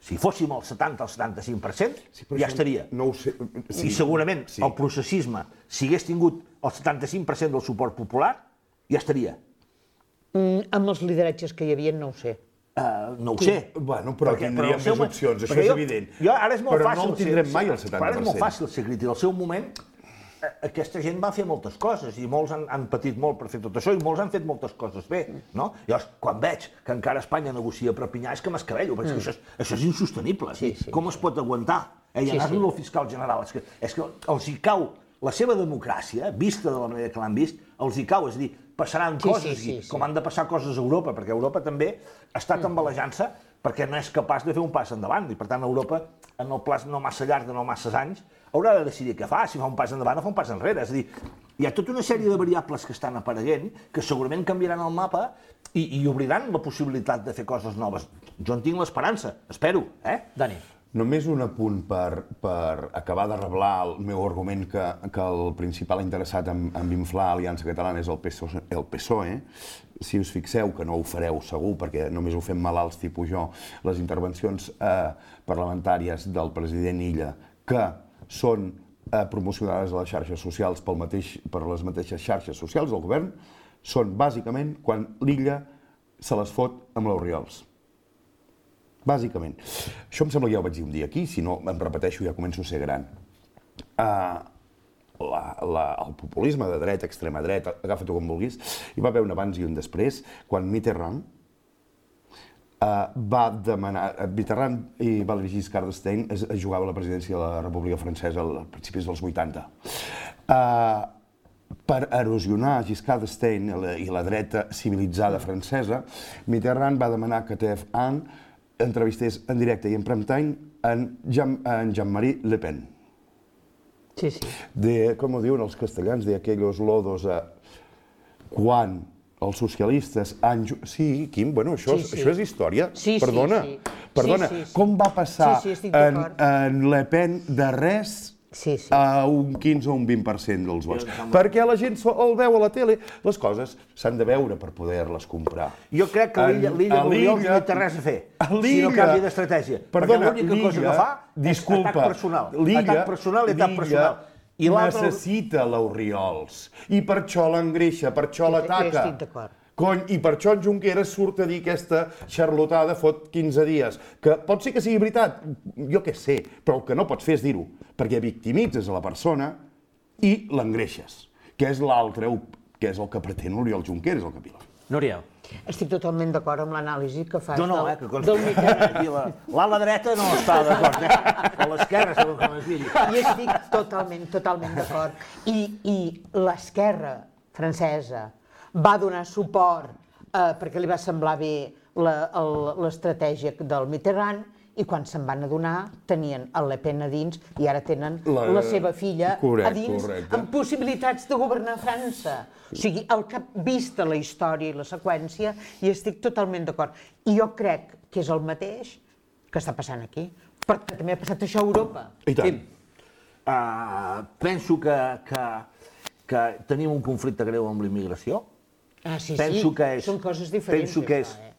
Si fóssim el setanta o el setanta-cinc per cent, sí, ja estaria. No ho sé. Sí. I segurament sí. El processisme, si hagués tingut el setanta-cinc per cent del suport popular, ja estaria. Mm, amb els lideratges que hi havia, no ho sé. Uh, no ho sí. sé. Bueno, però perquè, tindríem però més opcions, això és jo, evident. Jo, ara és molt però fàcil no el tindrem ser, mai, el setanta per cent. Però ara és molt fàcil ser crític. Al seu moment, aquesta gent va fer moltes coses i molts han, han patit molt per fer tot això i molts han fet moltes coses bé, no? Llavors, quan veig que encara Espanya negocia per Pinyà és que m'escabello, perquè mm. això, és, això és insostenible. Sí, sí. Com es pot aguantar? Eh, I anar-li sí, sí. al fiscal general. És que, és que els hi cau la seva democràcia, vista de la manera que l'han vist, els hi cau, és a dir, passaran sí, coses, sí, sí, sí. com han de passar coses a Europa, perquè Europa també està tambalejant-se perquè no és capaç de fer un pas endavant, i per tant Europa, en el pla no massa llarg, de no massa anys, haurà de decidir què fa, si fa un pas endavant o fa un pas enrere. És a dir, hi ha tota una sèrie de variables que estan apareguent que segurament canviaran el mapa i, i obriran la possibilitat de fer coses noves. Jo en tinc l'esperança, espero, eh? Dani. Només un apunt per, per acabar de reblar el meu argument que, que el principal interessat en, en inflar Aliança Catalana és el P S O E. El P S O E. Si us fixeu, que no ho fareu segur, perquè només ho fem malalts tipus jo, les intervencions eh, parlamentàries del president Illa, que són eh, promocionades a les xarxes socials pel mateix, per les mateixes xarxes socials del govern, són bàsicament quan l'Illa se les fot amb l'Oriols. Bàsicament. Això em sembla que ja ho vaig dir un dia aquí, si no em repeteixo ja començo a ser gran. Uh, la, la, el populisme de dreta, extrema dreta, agafa-t'ho com vulguis, hi va haver un abans i un després, quan Mitterrand uh, va demanar... Mitterrand i Valéry Giscard d'Estaing es, es jugava a la presidència de la República Francesa als principis dels vuitanta. Uh, per erosionar Giscard d'Estaing i la dreta civilitzada francesa, Mitterrand va demanar que T F un entrevistés en directe i en prime time en, Jean, en Jean-Marie Le Pen. Sí, sí. De, com ho diuen els castellans, de aquellos lodos a... Quan els socialistes han... Sí, Quim, bueno, això, sí, sí. això és història. Sí, Perdona, sí, sí. perdona. Sí, sí, sí. Com va passar sí, sí, en, en Le Pen de res sí, sí. a un quinze o un vint per cent dels vots? Perquè la gent el veu a la tele. Les coses s'han de veure per poder-les comprar. Jo crec que l'Illa Oriols no té res a fer, si no canvia d'estratègia. Perquè l'única cosa que fa és atac personal. Atac personal i atac personal. I necessita l'Oriols. I per això l'engreixa, per això l'ataca. Jo estic d'acord. Cony, i per això en Junqueras surt a dir aquesta xarlotada fot quinze dies, que pot ser que sigui veritat, jo què sé, però el que no pots fer és dir-ho, perquè victimitzes a la persona i l'engreixes, que és l'altre, que és el que pretén l'Oriol Junqueras, el capilà. Núria. Estic totalment d'acord amb l'anàlisi que fas no, no, del, eh, que del Mitterrand. L'ala dreta no està d'acord, eh? O l'esquerra, segons com es digui. I estic totalment, totalment d'acord. I, i l'esquerra francesa va donar suport eh, perquè li va semblar bé l'estratègia del Mitterrand i quan se'n van adonar tenien el Le Pen a dins i ara tenen la, la seva filla correcte, a dins correcte. Amb possibilitats de governar França. O sigui, el que ha vist la història i la seqüència i estic totalment d'acord. I jo crec que és el mateix que està passant aquí, perquè també ha passat això a Europa. I tant. Uh, penso que, que, que tenim un conflicte greu amb la immigració. Ah, sí, penso sí, que és, són coses diferents. Penso que és això, eh?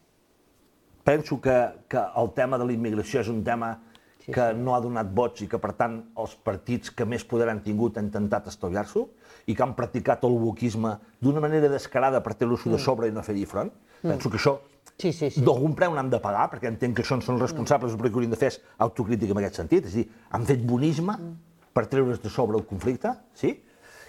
penso que el tema de la immigració és un tema que no ha donat vots i que, per tant, els partits que més poder han tingut han intentat estalviar-s'ho i que han practicat el wokisme d'una manera descarada per tenir-lo de sobre i no fer-hi front. Penso que això d'algun preu n'han de pagar, perquè entenc que això en són responsables, el que haurien de fer és autocrítica en aquest sentit, és a dir, han fet bonisme per treure's de sobre el conflicte, sí?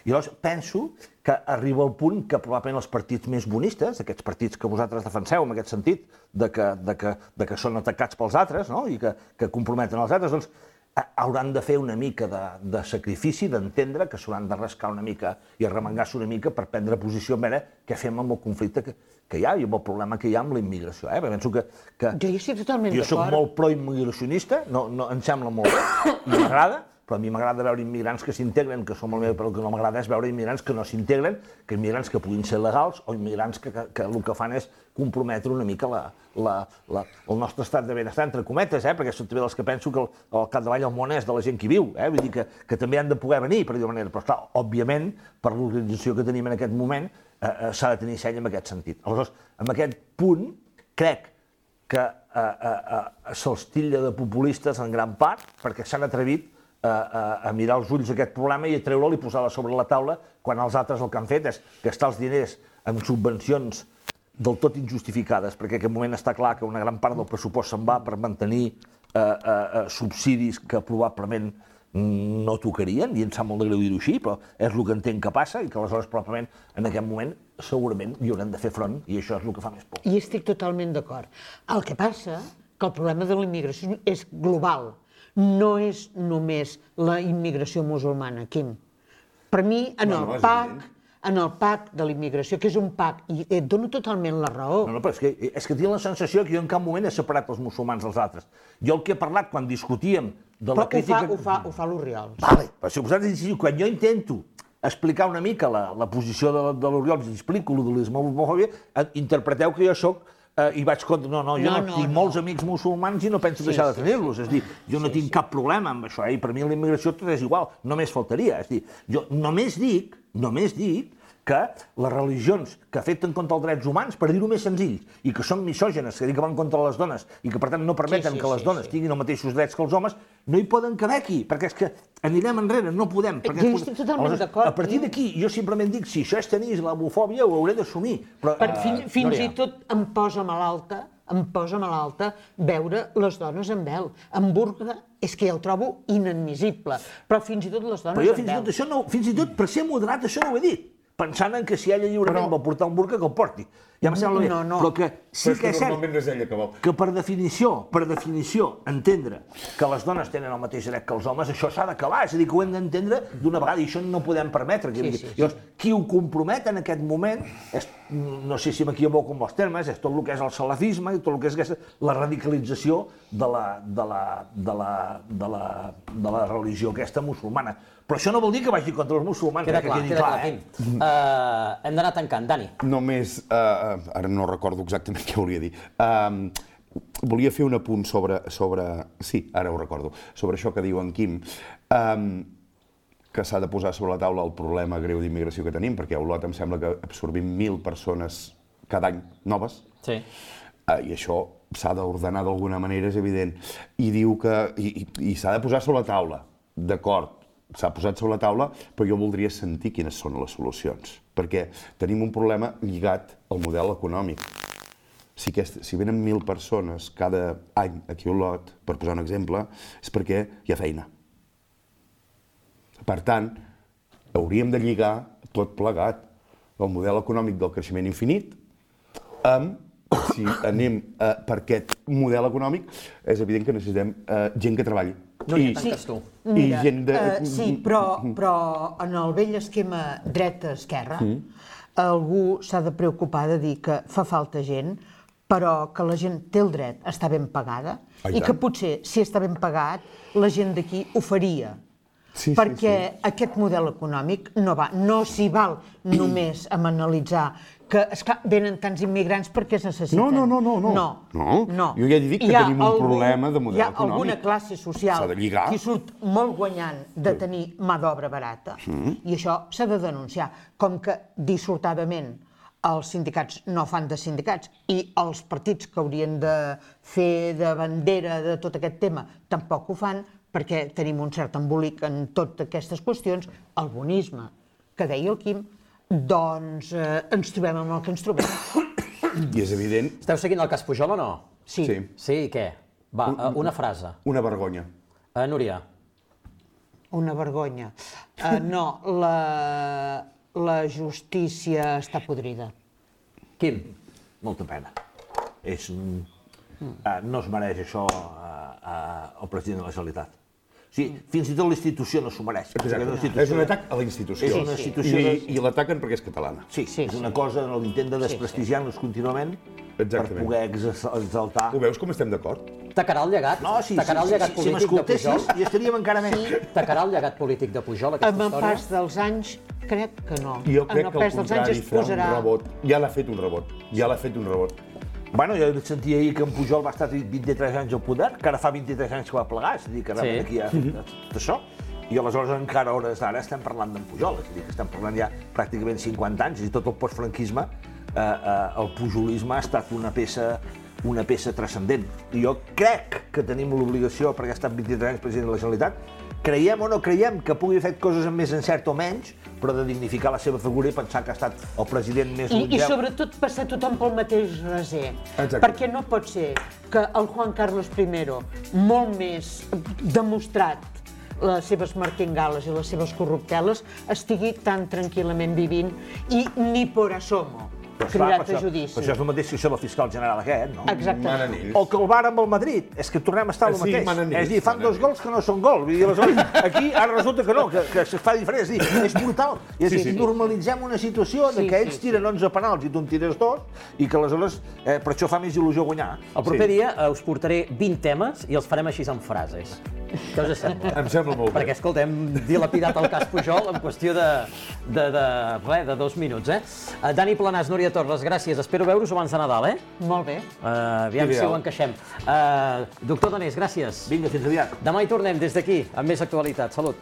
I llavors penso que arriba el punt que probablement els partits més bonistes, aquests partits que vosaltres defenseu en aquest sentit, de que, de que, de que són atacats pels altres, no? I que, que comprometen els altres, doncs hauran de fer una mica de, de sacrifici, d'entendre que s'hauran de rascar una mica i arremengar-se una mica per prendre posició en veure què fem amb el conflicte que, que hi ha i amb el problema que hi ha amb la immigració. Eh? Penso que, que jo hi estic totalment d'acord. Jo soc molt pro-immigracionista, no, no, em sembla molt bé i m'agrada, però a mi m'agrada veure immigrants que s'integren, que som el meu, però el que no m'agrada és veure immigrants que no s'integren, que immigrants que puguin ser legals o immigrants que, que, que el que fan és comprometre una mica la, la, la, el nostre estat de benestar, entre cometes, eh? Perquè són també els que penso que el, al capdavall el món és de la gent que viu, eh? Vull dir que, que també han de poder venir, per dir-ho manera, però esclar, òbviament, per l'organització que tenim en aquest moment, eh, eh, s'ha de tenir seny en aquest sentit. Aleshores, en aquest punt, crec que eh, eh, eh, se'ls titlla de populistes en gran part, perquè s'han atrevit A, a, a mirar els ulls aquest problema i a treure'l i posar-lo sobre la taula, quan els altres el que han fet és gastar els diners en subvencions del tot injustificades, perquè en aquest moment està clar que una gran part del pressupost se'n va per mantenir eh, eh, subsidis que probablement no tocarien, i em sap molt de greu dir-ho així, però és el que entenc que passa i que aleshores probablement en aquest moment segurament hi haurem de fer front i això és el que fa més por. I estic totalment d'acord. El que passa que el problema de la immigració és global. No és només la immigració musulmana, Quim. Per mi, en el P A C, en el P A C de la immigració, que és un P A C, i et dono totalment la raó. No, no, però és que, és que tinc la sensació que jo en cap moment he separat els musulmans dels altres. Jo el que he parlat quan discutíem de la però crítica... Però ho fa, ho fa, ho fa l'Oriol. Vale, però si vosaltres decidiu, quan jo intento explicar una mica la, la posició de, de l'Oriol i explico lo de l'islamofòbia, interpreteu que jo soc Uh, i vaig contra... No, no, jo no, no, no tinc no. molts amics musulmans i no penso sí, deixar de tenir-los. Sí, sí. És dir, jo no sí, tinc sí. cap problema amb això, eh? I per mi la immigració tot és igual, només faltaria. És dir, jo només dic, només dic que les religions que afecten contra els drets humans, per dir-ho més senzill, i que són misògenes, que dic que van contra les dones, i que per tant no permeten sí, sí, que les dones sí, sí. tinguin els mateixos drets que els homes, no hi poden caber aquí, perquè és que anirem enrere, no podem. Jo hi estic totalment d'acord. A partir d'aquí, jo simplement dic, si això és tenir islamofòbia, ho hauré d'assumir. Però uh, fins, fins i tot em posa malalta, em posa malalta veure les dones en vel. En burca és que ja ho trobo inadmissible, però fins i tot les dones però jo, en fins vel. I tot això no, fins i tot per ser moderat això no ho he dit, pensant en que si ella lliurement però... vol portar un burca, que el porti. Ja em sembla bé. No, no. Però que sí però que és cert no és ella que, vol. que per definició, per definició, entendre que les dones tenen el mateix dret que els homes, això s'ha d'acabar, és a dir, que ho hem d'entendre d'una vegada i això no podem permetre. Sí, sí, sí. Llavors, qui ho compromet en aquest moment, és, no sé si m'equivoco amb els termes, és tot el que és el salafisme i tot el que és aquesta, la radicalització de la, de, la, de, la, de, la, de la religió aquesta musulmana. Però això no vol dir que vagi contra els musulmans. Queda clar, queda clar, eh? Uh, hem d'anar tancant, Dani. Només, uh, ara no recordo exactament què volia dir. Uh, volia fer un apunt sobre, sobre... Sí, ara ho recordo. Sobre això que diu en Quim. Um, que s'ha de posar sobre la taula el problema greu d'immigració que tenim, perquè a Olot em sembla que absorbim mil persones cada any noves. Sí. Uh, I això s'ha d'ordenar d'alguna manera, és evident. I diu que... I, i, i s'ha de posar sobre la taula. D'acord. S'ha posat sobre la taula, però jo voldria sentir quines són les solucions, perquè tenim un problema lligat al model econòmic. Si, aquest, si venen mil persones cada any aquí a Olot, per posar un exemple, és perquè hi ha feina. Per tant, hauríem de lligar tot plegat el model econòmic del creixement infinit amb, si anem uh, per aquest model econòmic, és evident que necessitem uh, gent que treballi. No hi tanques tu. I gent de... Uh, sí, però, però en el vell esquema dreta-esquerra, mm. algú s'ha de preocupar de dir que fa falta gent, però que la gent té el dret a estar ben pagada ah, i, i que potser, si està ben pagat, la gent d'aquí ho faria. Sí, perquè sí, sí. aquest model econòmic no va, no s'hi val només a analitzar que, esclar, venen tants immigrants perquè es necessiten. No, no, no, no. No, no. no. Jo ja he dit que tenim un algun, problema de model econòmic. Hi ha alguna classe social que surt molt guanyant de tenir mà d'obra barata mm. i això s'ha de denunciar. Com que dissortadament els sindicats no fan de sindicats i els partits que haurien de fer de bandera de tot aquest tema tampoc ho fan, perquè tenim un cert embolic en totes aquestes qüestions, el bonisme, que deia el Quim, doncs eh, ens trobem amb el que ens trobem. I és evident... Esteu seguint el cas Pujol o no? Sí. Sí. Sí, i què? Va, una frase. Una vergonya. Uh, Núria. Una vergonya. Uh, no, la, la justícia està podrida. Quim. Molta pena. És un... Uh, no es mereix això uh, uh, el president de la Generalitat. O sigui, fins i tot la institució no s'ho mereix. Exacte. És un atac a la institució. És una institució I, de... i l'ataquen perquè és catalana. Sí, sí, és una cosa, l'intent de desprestigiar-nos contínuament per poder exaltar... Ho veus com estem d'acord? Tacarà el llegat? No, sí, Tacarà el sí, llegat sí, si polític de Pujol? m'escoltessis, hi estaríem encara més. Tacarà el llegat polític de Pujol, aquesta Amb el història? pas dels anys, crec que no. Jo crec en el que al pas dels anys contrari es farà un posarà... rebot. Ja l'ha fet un rebot. Ja l'ha fet un rebot. Bueno, jo sentia ahir que en Pujol va estar vint-i-tres anys al poder, que ara fa vint-i-tres anys que va plegar, és a dir, que realment aquí hi ha tot això. I aleshores encara a hores d'ara estem parlant d'en Pujol, és a dir, que estem parlant ja pràcticament cinquanta anys, i tot el postfranquisme, eh, eh, el pujolisme ha estat una peça, una peça transcendent. I jo crec que tenim l'obligació, perquè ha estat vint-i-tres anys president de la Generalitat, creiem o no creiem que pugui haver fet coses amb més encert o menys, però de dignificar la seva figura i pensar que ha estat el president més I, longeu. I sobretot passar tothom pel mateix raser. Exacte. Perquè no pot ser que el Juan Carlos primero, molt més demostrat les seves martingales i les seves corrupteles, estigui tan tranquil·lament vivint i ni por asomo cridat a judici. Però això és el mateix que això del fiscal general aquest, no? Exactament. Manen ells. O que el bar amb el Madrid, és que tornem a estar al Sí, mateix. manen ells, És a dir, fan manen dos gols que no són gol. Vull dir, aleshores, aquí ara resulta que no, que, que es fa diferent. És a dir, és brutal. I és a dir, normalitzem una situació de Sí, que sí, ells tiren onze penals i tu en tires dos, i que aleshores, eh, per això fa més il·lusió guanyar. El proper dia eh, us portaré vint temes i els farem així en frases. Què us sembla? Em sembla molt bé. Perquè, escolta, hem dilapidat el cas Pujol en qüestió de, de, de, res, de dos minuts, eh? Uh, Dani Planàs, Núria Torres, gràcies. Espero veure-us abans de Nadal, eh? Molt bé. Uh, aviam si Ideal. ho encaixem. Uh, doctor Donés, gràcies. Vinga, fins aviat. Demà hi tornem des d'aquí, amb més actualitat. Salut.